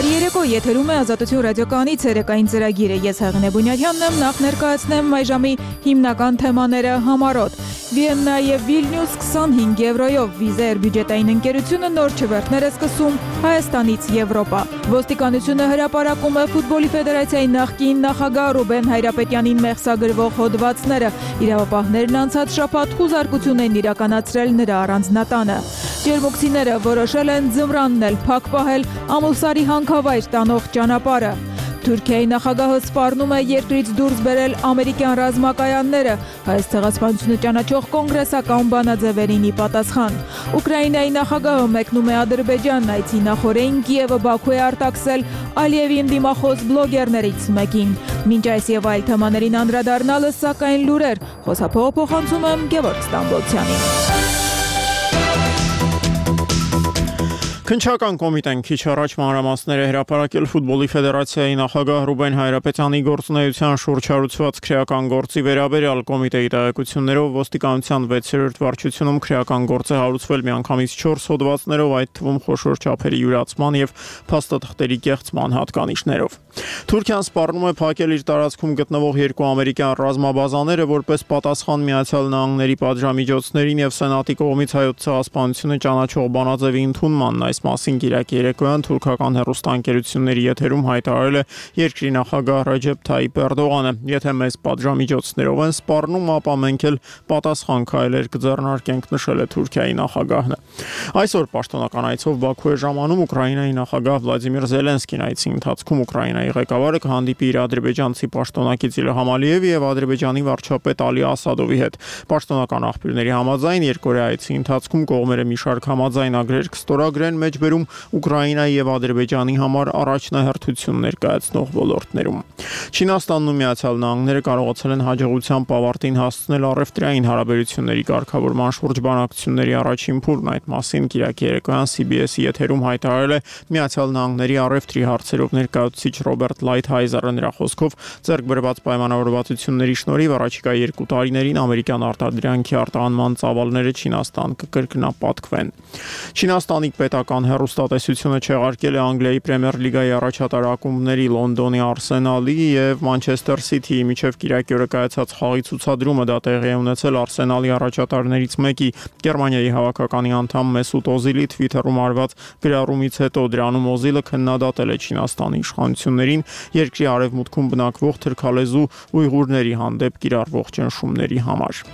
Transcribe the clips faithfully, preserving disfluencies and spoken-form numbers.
Բարի երեկո, եթերում է Ազատություն ռադիոկայանի ցերեկային ծրագիրը։ Ես Հեղինե Բունյաթյանն եմ, նախ ներկայացնեմ այժմի հիմնական թեմաները համառոտ։ Վիեննա եւ Վիլնյուս քսանհինգ եվրոյով վիզեր բյուջետային ընկերությունը նոր չվերթներ է սկսում Հայաստանից Եվրոպա։ Ոստիկանությունը հրապարակում է ֆուտբոլի ֆեդերացիայի նախկին նախագահ Ռուբեն Հայրապետյանին մեղսագրվող հոդվածները։ Իրավապահներն անցած շաբաթ խուզարկություն են իրականացրել նրա առանձնատանը։ Ջերմուկցիները որոշել են ձմռանն փակ պահել Ամուլսարի հանքավայր տանող ճանապարհը։ Թուրքիայի նախագահը սպառնում է երկրից դուրս բերել ամերիկյան ռազմակայանները, հայոց ցեղասպանությունը ճանաչող կոնգրեսական բանաձևերին ի պատասխան։ Ուկրաինայի նախագահը մեկնում է Ադրբեջան, այցի նախօրեին Կիևը Բաքու է արտաքսել Ալիևին դիմախոս բլոգերներից մեկին։ Մինչ այս եւ այլ թեմաներին անդրադառնալը, սակայն լուրեր, խոսափողը փոխանցում եմ Գևորգ Ստամբոլցյանին։ Քննչական կոմիտեն քիչ առաջ մանրամասներ է հրապարակել ֆուտբոլի ֆեդերացիայի նախագահ Ռուբեն Հայրապետյանի գործունեության շուրջ հարուցված քրեական գործի վերաբերյալ կոմիտեի տեղեկություններով ոստիկանության վեցերորդ վարչությունում քրեական գործ է հարուցվել միանգամից չորս հոդվածներով, այդ թվում խոշոր չափերի յուրացման եւ փաստաթղթերի կեղծման հատկանիշներով։ Թուրքիան սպառնում է փակել իր տարածքում գտնվող երկու ամերիկյան ռազմաբազաները որպես պատասխան Միացյալ Նահանգների պատժամիջոցներին եւ Սենատի կողմից հայոց ցեղասպանությունը ճանաչող բանաձևի ընդունմանն այս մասին Կիրակի երեկոյան թուրքական հեռուստաընկերությունների եթերում հայտարարել է երկրի նախագահ Ռեջեփ Թայիփ Էրդողանը։ Եթե մեզ պատժամիջոցներով են սպառնում, ապա մենք էլ պատասխան քայլեր կձեռնարկենք, նշել է Թուրքիայի նախագահը։ Այսօր պաշտոնական այցով Բաքու է ժամանում Ուկրաինայի նախագահ Վլադիմիր Զելենսկին։ Այցի ընթացքում Ուկրաինայի ղեկավարը կհանդիպի իր ադրբեջանցի պաշտոնակից Իլհամ Ալիևի եւ ադրբեջանի վարչապետ Ալի Ասադովի հետ։ Պաշտոնական աղբյուրների համաձայն երկօրյա այցի ընթացքում կողմերը մի շարք համաձայնագրեր կստորագրեն մեջբերում Ուկրաինայի եւ Ադրբեջանի համար առաջնահերթություն ներկայացնող ոլորտներում։ Չինաստանն ու Միացյալ Նահանգները կարողացել են հաջողությամբ ավարտին հասցնել առևտրային հարաբերությունների կարգավորման շուրջ բանակցությունների առաջին փուլն։ Այդ մասին Կիրակի երեկոյան C B S-ի եթերում հայտարարել է Միացյալ Նահանգների առևտրի հարցերով ներկայացուցիչ Ռոբերտ Լայթհայզերը։ Նրա խոսքով ձեռք բերված պայմանավորվածությունների շնորհիվ առաջիկա երկու տարիներին ամերիկյան արտադրանքի արտահանման ծավալները Չինաստան կկրկնապատկվեն։ Չինաստանի պետական հեռուստատեսությունը չեղարկել է Անգլիայի Պրեմիեր լիգայի առաջատար ակումբների Լոնդոնի Արսենալի եւ Մանչեսթեր Սիթիի միջև Կիրակի օրը կայացած խաղի ցուցադրումը։ Դա տեղի է ունեցել Արսենալի առաջատարներից մեկի Գերմանիայի հավաքականի անդամ Մեսուտ Օզիլի Twitter-ում արված գրառումից հետո։ Դրանում Օզիլը քննադատել է Չինաստանի իշխանություններին երկրի արևմուտքում բնակվող թրքալեզու ույղուրների հանդեպ կիրառվող ճնշումների համար։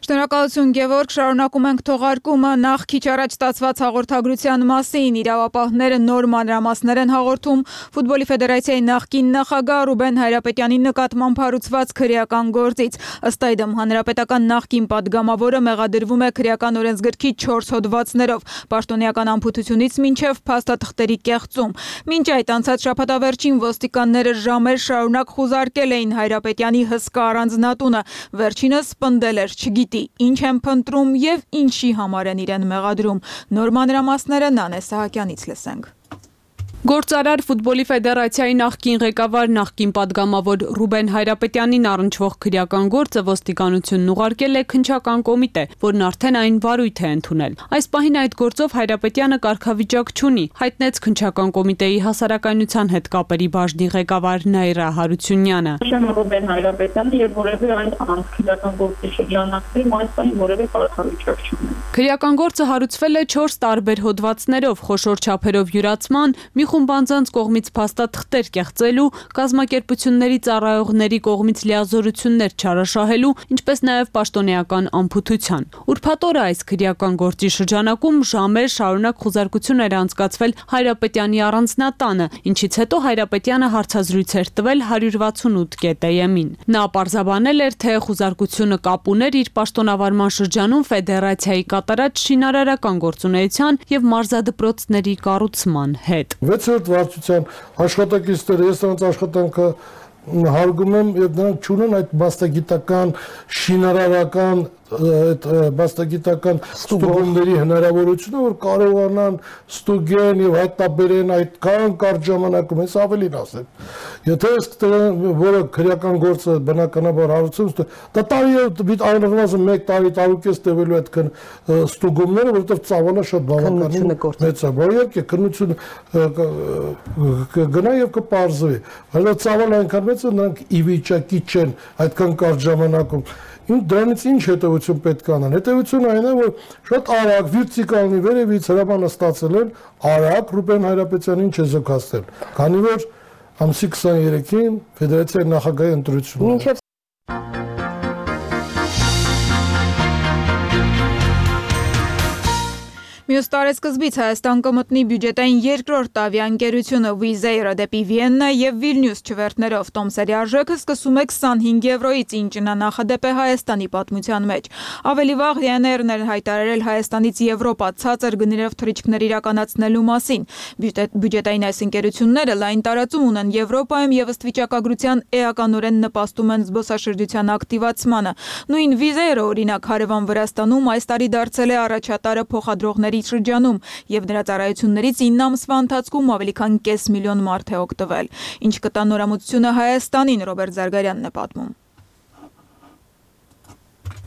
Շնորհակալություն Գևորգ, շարունակում ենք թողարկումը նախ քիչ առաջ ստացված հաղորդագրության մասին։ Իրավապահները նոր մանրամասներ են հաղորդում ֆուտբոլի ֆեդերացիայի նախկին նախագահ Ռուբեն Հայրապետյանի նկատմամբ հարուցված քրեական գործից։ Ըստ այդմ հանրապետական նախկին падգամավորը մեղադրվում է քրեական օրենսգրքի չորս հոդվածներով՝ պաշտոնեական անփութությունից մինչև փաստաթղթերի կեղծում։ Մինչ այդ անցած շաբաթավերջին ոստիկանները ժամեր շարունակ խուզարկել էին Հայրապետյանի հսկա առանձնատունը։ Վերջինս պնդել էր չգիտի ինչ են փնտրում եւ ինչի համար են իրեն մեղադրում։ Նոր մանրամասները Նանե Սահակյանից լսենք։ Գործարար ֆուտբոլի ֆեդերացիայի նախկին ղեկավար նախկին падգամավոր Ռուբեն Հայրապետյանին առնչվող քրեական գործը ոստիկանությունն ուղարկել է քննչական կոմիտե, որն արդեն այն վարույթ է ընդունել։ Այս պահին այդ գործով Հայրապետյանը կարգավիճակ չունի, հայտնեց քննչական կոմիտեի հասարակայնության հետ կապերի բաժնի ղեկավար Նաիրա Հարությունյանը։ Ռուբեն Հայրապետյանը եւ որևէ այլ անքրեական գործի շրջանակներում այս պահին որևէ կարգավիճակ չունի։ Քրեական գործը հարուցվել է չորս տարբեր հոդվածներով, խոշոր չափերով յուրացման, մի Մի խումբ անձանց կողմից փաստաթղթեր կեղծելու, կազմակերպությունների ծառայողների կողմից լիազորություններ չարաշահելու, ինչպես նաև պաշտոնեական անփութության։ Ուրբաթ օրը այս քրեական գործի շրջանակում ժամեր շարունակ խուզարկություն էր անցկացվել Հայրապետյանի առանձնատանը, ինչից հետո Հայրապետյանը հարցազրույց էր տվել հարյուր վաթսունութ կետ էմ-ին։ Նա պարզաբանել էր, թե խուզարկությունը կապ ուներ իր պաշտոնավարման շրջանում ֆեդերացիայի կատարած շինարարական գործունեության եւ մարզադպրոցների կառուցման հետ։ վեցերորդ վարչության աշխատակիցները ես նրանց աշխատանքը հարգում եմ եւ նրանք չունեն այդ մասնագիտական շինարարական այդ մասնագիտական ստուգումների հնարավորությունը, որ կարողանան ստուգեն եւ հայտնաբերեն այդքան կարճ ժամանակում, ես ավելին ասեմ։ Եթե այս որը քրեական գործը բնականաբար հարուցում, դա տարի այնուամենայնիվ մեկ տարի տարուկես տևելու այդքան ստուգումները, որովհետեւ ծավալը շատ բավականին մեծ է։ Բայց իհարկե քննությունը կգնա եւ կպարզվի։ Բայց ծավալը այնքան մեծ է, նրանք ի վիճակի չեն այդքան կարճ ժամանակում դրանից ինչ հետևություն պետք է անեն։ Հետևությունը այն է, որ շատ արագ վիրտիկալնի վերևից հրամանը ստացել են արագ Ռուբեն Հայրապետյանին չեզոքացնել, քանի որ ամսի քսաներեքին ֆեդերացիայի նախագահի ընտրությունն է։ Մյուս տարեսկզբից Հայաստան կմտնի բյուջետային երկրորդ տավի ընկերությունը Wizz Air-ը դեպի Վիեննա եւ Վիլնյուս չվերթներով տոմսերի արժեքը սկսում է քսանհինգ եվրոից, ինչն է նախադեպ է Հայաստանի պատմության մեջ։ Ավելի վաղ Ryanair-ն էր հայտարարել Հայաստանից Եվրոպա ցածր գներով թռիչքներ իրականացնելու մասին։ Բյուջետային այս ընկերությունները լայն տարածում ունեն Եվրոպայում եւ ըստ վիճակագրության էականորեն նպաստում են զբոսաշրջության ակտիվացմանը։ Նույն Wizz Air-ը օրինակ հարևան Վրաստանում այս տարի դարձել է առաջատարը փոխադրողների շրջանում եւ նրա ծառայություններից ինը ամսվա ընթացքում ավելի քան կես միլիոն մարդ է օգտվել։ Ինչ կտա նորամուծությունը Հայաստանին, Ռոբերտ Զարգարյանն է պատմում։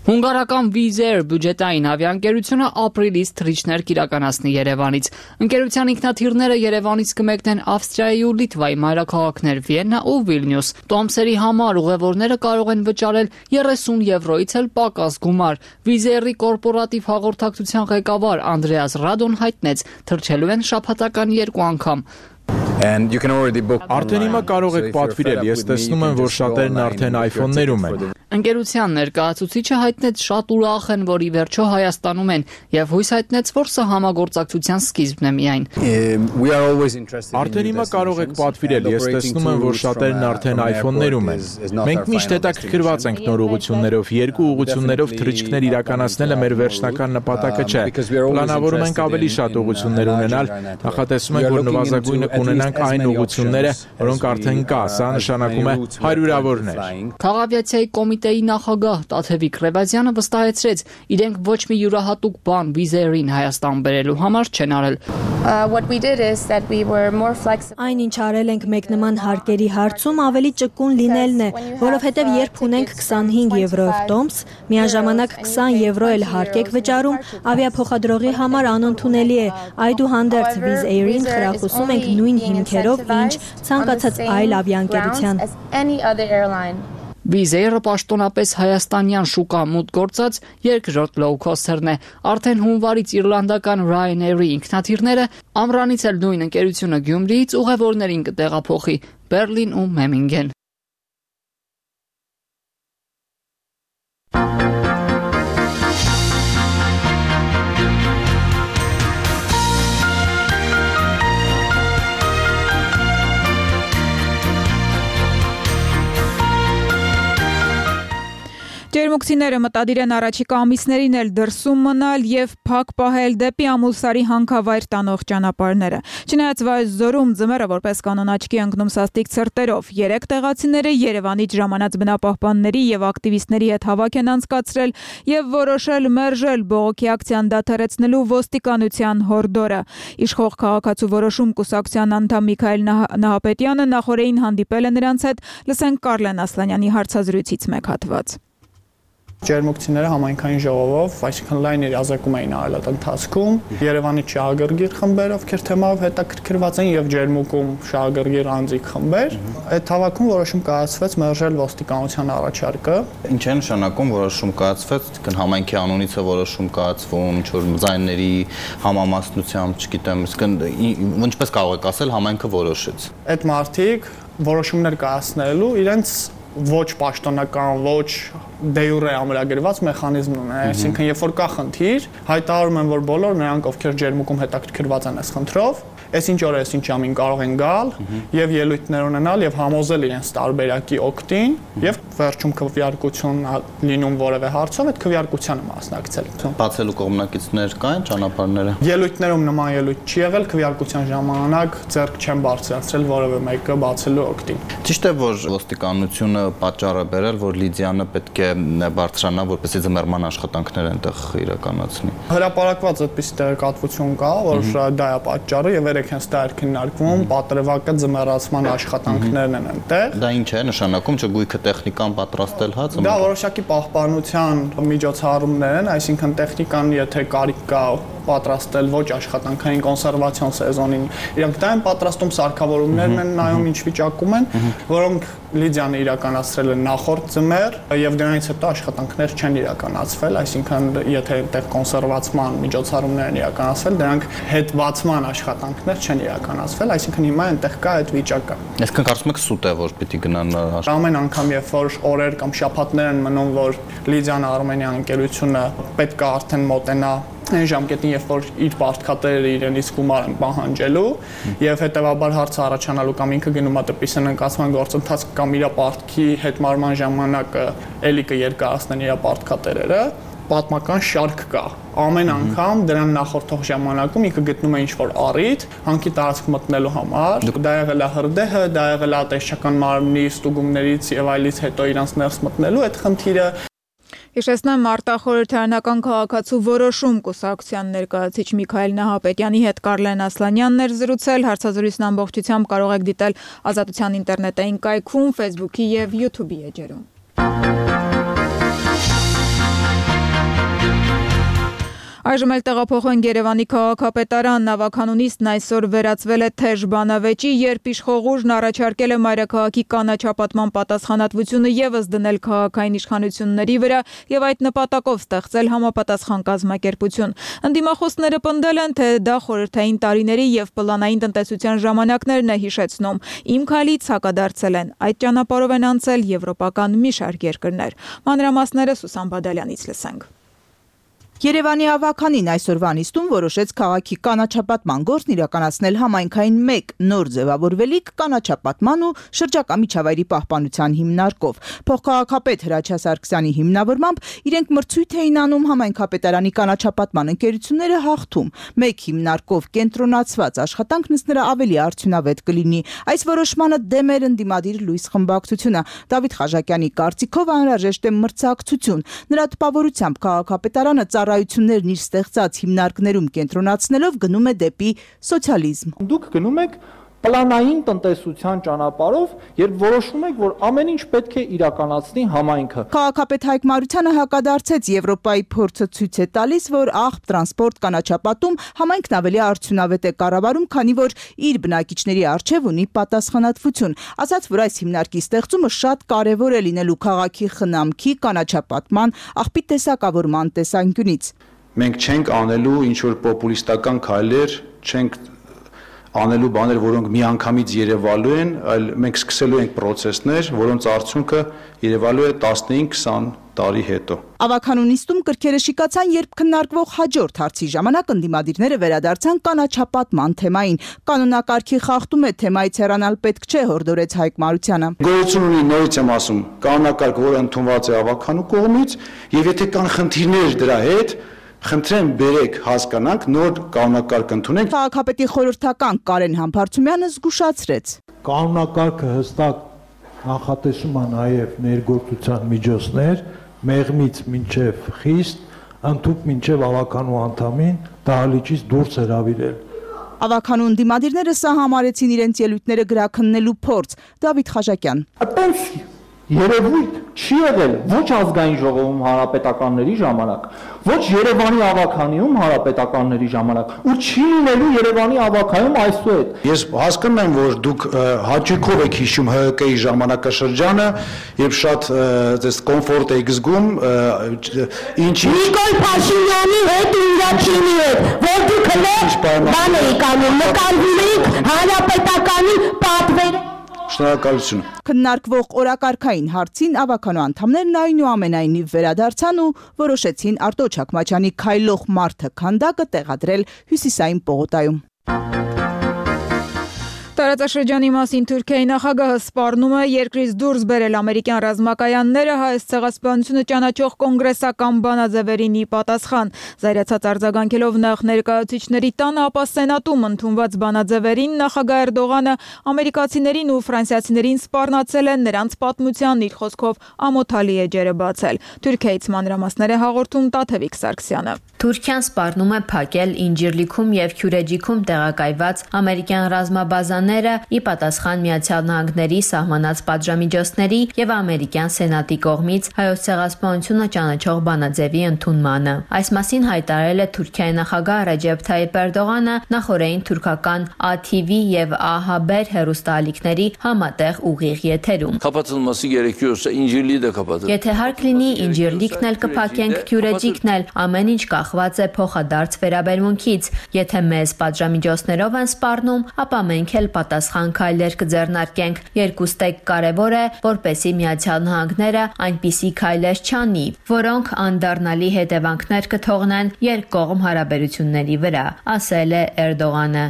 Հունգարական Wizz Air բյուջետային ավիաընկերությունը ապրիլից թռիչքներ կիրականացնի Երևանից։ Ընկերության ինքնաթիռները Երևանից կմեկնեն Ավստրիայի ու Լիտվայի մայրաքաղաքներ Վիեննա ու Վիլնյուս։ Տոմսերի համար ուղևորները կարող են վճարել երեսուն եվրոից էլ պակաս գումար։ Wizz Air-ի կորպորատիվ հաղորդակցության ղեկավար Անդրեաս Ռադոն հայտնեց, թռչելու են շաբաթական երկու անգամ։ Արդեն հիմա կարող եք պատվիրել, ես տեսնում եմ, որ շատերն արդեն iPhone-ներում են։ Ընկերության ներկայացուցիչը հայտնեց շատ ուրախ են, որ ի վերջո Հայաստանում են եւ հույս հայտնեց, որ սա համագործակցության սկիզբն է միայն։ Արդեն հիմա կարող եք պատվիրել, ես տեսնում եմ, որ շատերն արդեն iPhone-ներում են։ Մենք միշտ հետաքրքրված ենք նոր ուղղություններով, երկու ուղղություններով թռիչքներ իրականացնելը մեր վերջնական նպատակը չէ։ Պլանավորում ենք ավելի շատ ուղղություններ ունենալ, նախատեսում ենք, որ նվազագույնը կունենանք այն ուղղությունները, որոնք արդեն կա, սա նշանակում է հարյուրավորներ։ Քաղաքավիացիայի կոմիտեի նախագահ Տաթևիկ Ռևազյանը վստահեցրեց, իրենք ոչ մի յուրահատուկ բան Wizz Air-ին Հայաստան բերելու համար չեն արել։ Այն ինչ արել ենք մեկ նման հարկերի հարցում ավելի ճկուն լինելն է, որովհետև երբ ունենք քսանհինգ եվրոյով տոմս, միաժամանակ քսան եվրո էլ հարկ եք վճարում, ավիափոխադրողի համար անընդունելի է, այդուհանդերձ Wizz Air-ին խրախուսում ենք նույն հիմքերով, ինչ ցանկացած այլ ավիաընկերության։ Wizz Air-ը պաշտոնապես հայաստանյան շուկա մուտք գործած երկրորդ լոու-քոստերն է։ Արդեն հունվարից իռլանդական Ryanair-ի ինքնաթիռները ամռանից էլ նույն ընկերությունը Գյումրիից ուղևորներին կտեղափոխի Բերլին ու Մեմինգեն։ Ջերմուկցիները մտադիր են առաջիկա ամիսներին էլ դրսում մնալ եւ փակ պահել դեպի Ամուլսարի հանքավայր տանող ճանապարհները։ Չնայած Վայոց-Ձորում ձմեռը որպես կանոն աչքի ընկնում սաստիկ ցրտերով, երեք տեղացիները Երևանից ժամանած բնապահպանների եւ ակտիվիստների հետ հավաք են անցկացրել եւ որոշել մերժել բողոքի ակցիան դադարեցնելու ոստիկանության հորդորը։ Իշխող քաղաքացու որոշում կուսակցության անդամ Միքայել Նահապետյանը նախորդին հանդիպել է նրանց հետ, լսենք Կարլեն Ասլանյանի հարցազրույցից մեկ հատված։ Ջերմուկցիները համայնքային ժողովով, այսինքն լայն իրազեկում էին արել այդ ընթացքում։ Երևանի շահագրգիռ խմբեր, ովքեր թեմայով հետաքրքրված են, եւ ջերմուկում շահագրգիռ անձիկ խմբեր։ Այդ հավաքում որոշում կայացվեց մերժել ոստիկանության առաջարկը։ Ինչ է նշանակում որոշում կայացվեց, այսինքն համայնքի անունից է որոշում կայացվում, ինչ որ ձայների համամասնությամբ, չգիտեմ, այսինքն ինչպես կարող եք ասել, համայնքը որոշեց։ Այդ մարդիկ որոշումներ կայացնելու իրենց ոչ պաշտոնական, ոչ դե յուրե ամրագրված մեխանիզմ ունեն, այսինքն երբ որ կա խնդիր, հայտարարում են, որ բոլոր նրանք, ովքեր ջերմուկում հետաքրքրված են այս խնդրով, այս ինչ օր է, այս ինչ ժամին կարող են գալ եւ ելույթներ ունենալ եւ համոզել իրենց տարբերակի օգտին եւ վերջում քվեարկություն լինում որևէ հարցով այդ քվեարկությանը մասնակցել։ Բացելու կողմնակիցներ կային ճանապարհները։ Ելույթներում նման ելույթ չի եղել, քվեարկության ժամանակ ձեռք չեն բարձրացրել որևէ մեկը բացելու օգտին։ Ճիշտ է, որ ոստիկանությունը պատճառը բերել, որ Լիդիանը պետք է բարձրանա, որպեսզի ձմեռման աշխատանքներ այնտեղ իրականացնի։ Հրապարակված այդպիսի տեղեկատվություն կա, որ դա է պատճառը եւ հենց դա էր քննարկվում, պատրվակը ձմեռացման աշխատանքներն են այնտեղ։ Դա ինչ է նշանակում, չէ՞ գույքը տեխնիկան պատրաստել հա ձմեռ։ Դա որոշակի պահպանության միջոցառումներ են, այսինքն տեխնիկան եթե կարիք կա պատրաստել ոչ աշխատանքային կոնսերվացիոն սեզոնին, իրանք դա են պատրաստում, սարքավորումներն են նայում ինչ վիճակում են, որոնք Լիդիանը իրականացրել են նախորդ ձմեռ եւ դրանից հետո աշխատանքներ չեն իրականացվել, այսինքն եթե այնտեղ կոնսերվացման միջոցառումներ են իրականացվել, դրանք հետբացման աշխատանքներ չեն իրականացվել, այսինքն հիմա այնտեղ կա այդ վիճակը։ Այսինքն կարծում եք սուտ է, որ պիտի գնան ամեն անգամ երբ որ օրեր կամ շաբաթներ են մնում, որ Լիդիան Արմենիան ընկերությունը պետք է արդեն մոտենա այն ժամկետին, երբ որ իր պարտքատերերը իրենից գումար են պահանջելու եւ հետեւաբար հարցը առաջանալու կամ ինքը գնում է դպիսեն ընկացման գործընթաց կամ իր պարտքի հետմարման ժամանակը էլի կերկարացնեն իր պարտքատերերը, պատմական շարք կա։ Ամեն անգամ դրան նախորդող ժամանակում ինքը գտնում է ինչ-որ առիթ հանքի տարածք մտնելու համար։ Դա եղել է հրդեհը, դա եղել է տեսչական մարմնի ստուգումներից եւ այլից հետո իրանց ներս մտնելու այդ խնդիրը։ Հիշեցնեմ արտախորհրդարանական քաղաքացու որոշում կուսակցության ներկայացուցիչ Միքայել Նահապետյանի հետ Կարլեն Ասլանյանն էր զրուցել, հարցազրույցն ամբողջությամբ կարող եք դիտել Ազատության ինտերնետային կայքում, Facebook-ի եւ YouTube-ի էջերում։ Այժմ էլ տեղափոխենք Երևանի քաղաքապետարան, նավականունիստն այսօր վերածվել է թեժ բանավեճի, երբ իշխողուժն առաջարկել է մայրաքաղաքի կանաչապատման պատասխանատվությունը ևս դնել քաղաքային իշխանությունների վրա եւ այդ նպատակով ստեղծել համապատասխան կազմակերպություն։ Ընդդիմախոսները պնդել են, թե դա խորհրդային տարիների եւ պլանային տնտեսության ժամանակներն է հիշեցնում։ Իմ քայլից հակադարձել են։ Այդ ճանապարհով են անցել եվրոպական մի շարք երկրներ։ Մանրամասները Սուսան Բադալյանից լսենք։ Երևանի ավականին այսօրվա նիստում որոշեց քաղաքի կանաչապատման գործն իրականացնել համայնքային մեկ նոր ձևավորվելիք կանաչապատման ու շրջակա միջավայրի պահպանության հիմնարկով։ Փոխքաղաքապետ Հրաչյա Սարգսյանի հիմնավորմամբ իրենք մրցույթ էին անում համայնքապետարանի կանաչապատման ընկերությունները հաղթում։ Մեկ հիմնարկով կենտրոնացված աշխատանքն ըստ նրա ավելի արդյունավետ կլինի։ Այս որոշմանը դեմ էր ընդդիմադիր լույս խմբակցությունը։ Դավիթ Խաչակյանի կարծիքով անհրաժեշտ է մրցակցություն։ Նրա տպավորությամբ քաղաքապետարանը ծառայություններն իր ստեղծած հիմնարկներում կենտրոնացնելով գնում է դեպի սոցիալիզմ։ Դուք գնում եք պլանային տնտեսության ճանապարհով, երբ որոշում եք, որ ամեն ինչ պետք է իրականացնի համայնքը։ Քաղաքապետ Հայկ Մարությանը հակադարձեց Եվրոպայի փորձը ցույց է տալիս, որ աղբ տրանսպորտ կանաչապատում համայնքն ավելի արդյունավետ է կառավարում, քանի որ իր բնակիչների առջև ունի պատասխանատվություն։ Ասաց, որ այս հիմնարկի ստեղծումը շատ կարևոր է լինելու քաղաքի խնամքի, կանաչապատման, աղբի տեսակավորման տեսանկյունից։ Մենք չենք անելու ինչ որ պոպուլիստական քայլեր, չենք անելու բաներ, որոնք միանգամից երևալու են, այլ մենք սկսելու ենք process-ներ, որոնց արդյունքը երևալու է տասնհինգ քսան տարի հետո։ Ավականունիստում կրքերը շիկացան, երբ քննարկվող հաջորդ հարցի ժամանակ ընդդիմադիրները վերադարձան կանաչապատման թեմային։ Կանոնակարգի խախտում է թեմայից հեռանալ պետք չէ, հորդորեց Հայկ Մարությանը։ Գոյություն ունի, նորից եմ ասում, կանոնակարգ, որը ընդունված է ավականու կողմից, եւ եթե կան խնդիրներ դրա հետ, խնդրեմ բերեք հասկանանք, նոր կանոնակարգ ընդունենք։ Քաղաքապետի խորհրդական Կարեն Համբարձումյանը զգուշացրեց։ Կանոնակարգը հստակ նախատեսում է նաև ներգործության միջոցներ, մեղմից մինչև խիստ, ընդհանուր մինչև ավականու անդամին դահլիճից դուրս հրավիրել։ Ավականու ընդդիմադիրները սա համարեցին իրենց ելույթները գրաքննելու փորձ։ Դավիթ Խաչակյան։ Այդպես երևույթ չի եղել ոչ ազգային ժողովում հանրապետականների ժամանակ, ոչ Երևանի ավականիում հանրապետականների ժամանակ, ու չի լինելու Երևանի ավակայում այսուհետ։ Ես հասկանում եմ, որ դուք հաճույքով եք հիշում Հ Կ Ի ժամանակաշրջանը, երբ շատ այս կոմֆորտ եք զգում, ինչի Նիկոլ Փաշինյանի հետ ու իր թիմի հետ, որ դուք հենց բան եք անում, նկարվում եք հանրապետականի պատվերը։ Շնորհակալություն։ Քննարկվող օրակարգային հարցին ավականու անդամներն այնուամենայնիվ վերադարձան ու որոշեցին Արտո Չաքմաչյանի քայլող մարդը քանդակը տեղադրել Հյուսիսային պողոտայում։ Տարածաշրջանի մասին Թուրքիայի նախագահը սպառնում է երկրից դուրս բերել ամերիկյան ռազմակայանները հայոց ցեղասպանությունը ճանաչող կոնգրեսական բանաձևերին ի պատասխան։ Զայրացած արձագանքելով նախ ներկայացուցիչների տանը, ապա Սենատում ընդունված բանաձևերին նախագահ Էրդողանը ամերիկացիներին ու ֆրանսիացիներին սպառնացել է, նրանց պատմության իր խոսքով ամոթալի էջերը բացել։ Թուրքիայից մանրամասներ է հաղորդում Տաթևիկ Սարգսյանը։ Թուրքիան սպառնում է փակել Ինջիրլիքում եւ Քյուրեջիքում տեղակայված ամերիկյան ռազմաբազաները ի պատասխան Միացյալ Նահանգների սահմանած պատժամիջոցների եւ ամերիկյան սենատի կողմից հայոց ցեղասպանությունը ճանաչող բանաձևի ընդունմանը։ Այս մասին հայտարարել է Թուրքիայի նախագահ Ռեջեփ Թայիփ Էրդողանը նախորդին թուրքական A T V եւ A Haber հեռուստաալիքների համատեղ ուղիղ եթերում։ Եթե հարկ լինի, Ինջիրլիկն էլ կփակենք, Քյուրեջիկն էլ, ամեն ինչ կախված է փոխադարձ վերաբերմունքից։ Եթե մեզ պատժամիջոցներով են սպառնում, ապա մենք էլ պատասխան քայլեր կձեռնարկենք։ Երկուստեք կարևոր է, որպեսզի Միացյալ Նահանգները այնպիսի քայլեր չանի, որոնք անդառնալի հետևանքներ կթողնեն երկկողմ հարաբերությունների վրա, ասել է Էրդողանը։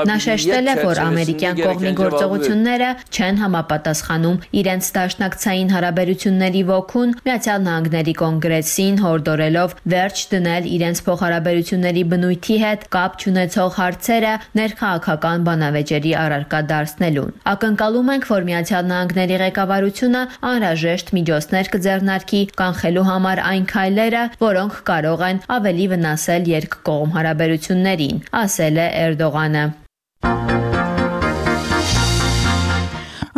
Նա շեշտել է, որ ամերիկյան կողմի գործողությունները չեն համապատասխանում իրենց դաշնակցային հարաբերությունների ոգուն, Միացյալ Նահանգների կոնգրեսին հորդորելով վերջ դնել իրենց փոխհարաբերությունների բնույթի հետ կապ չունեցող հարցերը ներքաղաքական բանավեճերի առարկա դարձնելուն։ Ակնկալում ենք, որ Միացյալ Նահանգների ղեկավարությունը անհրաժեշտ միջոցներ կձեռնարկի կանխելու համար այն քայլերը, որոնք կարող են ավելի վնասել երկկողմ հարաբերություններին, ասել է Էրդողանը։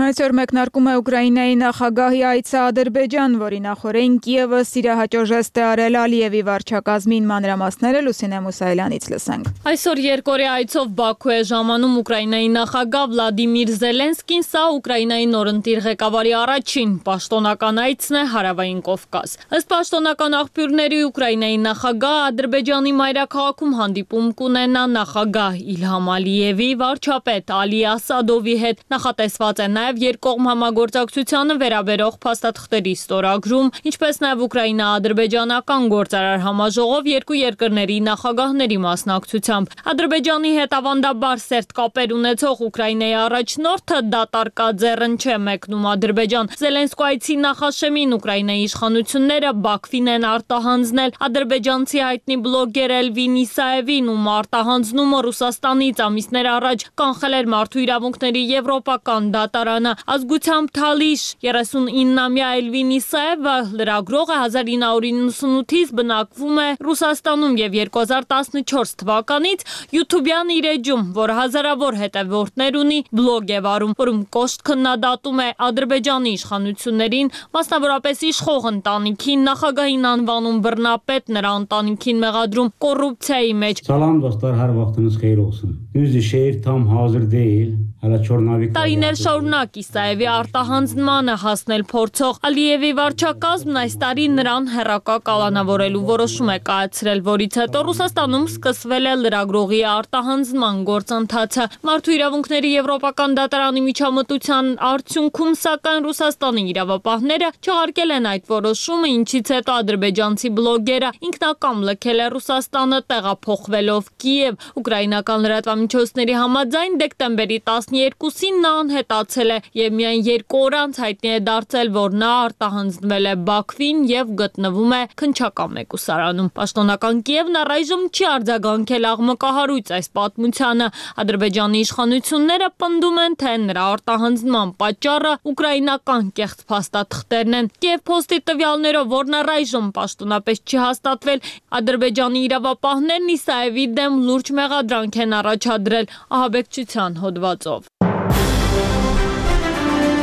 Այսօր մեկնարկում է Ուկրաինայի նախագահի այցը Ադրբեջան, որի նախորդին Կիևը սիրահաճո ժեստ է արել Ալիևի վարչակազմին, մանրամասները Լուսինե Մուսայելյանից լսենք։ Այսօր երկօրյա այցով Բաքու է ժամանում Ուկրաինայի նախագահ Վլադիմիր Զելենսկին, սա Ուկրաինայի նորընտիր ղեկավարի առաջին պաշտոնական այցն է Հարավային Կովկաս։ Ըստ պաշտոնական աղբյուրների, Ուկրաինայի նախագահը Ադրբեջանի մայրաքաղաքում հանդիպում կունենա նախագահ Իլհամ Ալիևի, վարչապետ Ալի Ասադովի հետ։ Նախատեսված է նաև երկկողմ համագործակցությանը վերաբերող փաստաթղթերի ստորագրում, ինչպես նաև Ուկրաինա-ադրբեջանական գործարար համաժողով երկու երկրների նախագահների մասնակցությամբ։ Ադրբեջանի հետ ավանդաբար սերտ կապեր ունեցող Ուկրաինայի առաջնորդը դատարկաձեռն չէ մեկնում Ադրբեջան։ Զելենսկու այցի նախաշեմին Ուկրաինայի իշխանությունները Բաքվին են արտահանձնել ադրբեջանցի հայտնի բլոգեր Էլվին Իսաևին, ում արտահանձնումը Ռուսաստանից ամիսներ առաջ կանխել էր Մարդու իրավունքների եվրոպական դատարանը։ Ազգությամբ թալիշ երեսունինամյա Էլվին Իսաևը լրագրող է, հազար ինը հարյուր իննսունութից բնակվում է Ռուսաստանում եւ երկու հազար տասնչորս թվականից YouTube-յան իր էջում, որ հազարավոր հետևորդներ ունի, բլոգ է վարում, որում կոշտ քննադատում է Ադրբեջանի իշխանություններին, մասնավորապես իշխող ընտանիքին, նախագահին անվանում բռնապետ, նրա ընտանիքին մեղադրում կոռուպցիայի մեջ։ Salam dostlar, hər vaxtınız xeyir olsun. Düzdür, şehir tam hazır değil. Hələ Çornavik Տարիներ շարունակ Իսաևի արտահանձնմանը հասնել փորձող Ալիևի վարչակազմն այս տարի նրան հեռակա կալանավորելու որոշում է կայացրել, որից հետո Ռուսաստանում սկսվել է լրագրողի արտահանձնման գործընթացը։ Մարդու իրավունքների եվրոպական դատարանի միջամտության արդյունքում, սակայն Ռուսաստանի իրավապահները չեղարկել են այդ որոշումը, ինչից հետո ադրբեջանցի բլոգերը ինքնակամ լքել է Ռուսաստանը, տեղափոխվելով Կիև։ Ուկրաինական լրատվամիջոցների համաձայն դեկտեմբերի տասներկուսին նա անհետացել է եւ միայն երկու օր անց հայտնի է դարձել, որ նա արտահանձնվել է Բաքվին եւ գտնվում է քննչական մեկուսարանում։ Պաշտոնական Կիևն առայժմ չի արձագանքել աղմկահարույց այս պատմությանը։ Ադրբեջանի իշխանությունները պնդում են, թե նրա արտահանձնման պատճառը ուկրաինական կեղծ փաստաթղթերն են։ Կիև Post-ի տվյալներով, որն առայժմ պաշտոնապես չի հաստատվել, Ադրբեջանի իրավապահներն Իսաևի դեմ լուրջ մեղադրանք են առաջադրել ահաբեկչության հոդվածով։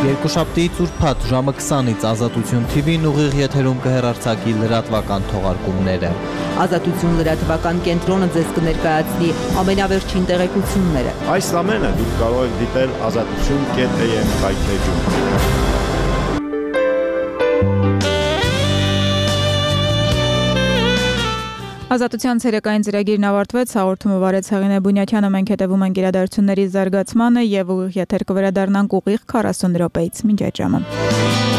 Երկուշաբթիից ուրբաթ ժամը քսանից Ազատություն Թի Վին ուղիղ եթերում կհեռարձակի լրատվական թողարկումները։ Ազատություն լրատվական կենտրոնը ձեզ կներկայացնի ամենավերջին տեղեկությունները։ Այս ամենը դուք կարող եք դիտել ազատություն կետ էյ էմ կայքեջում։ Ազատության ցերեկային ծրագիրն ավարտվեց, հաղորդումը վարեց Հեղինե Բունյաթյանը, մենք հետևում ենք իրադարձությունների զարգացմանը եւ ուղիղ եթեր կվերադառնանք ուղիղ քառասուն րոպեից։ Մինչ այդ ժամը։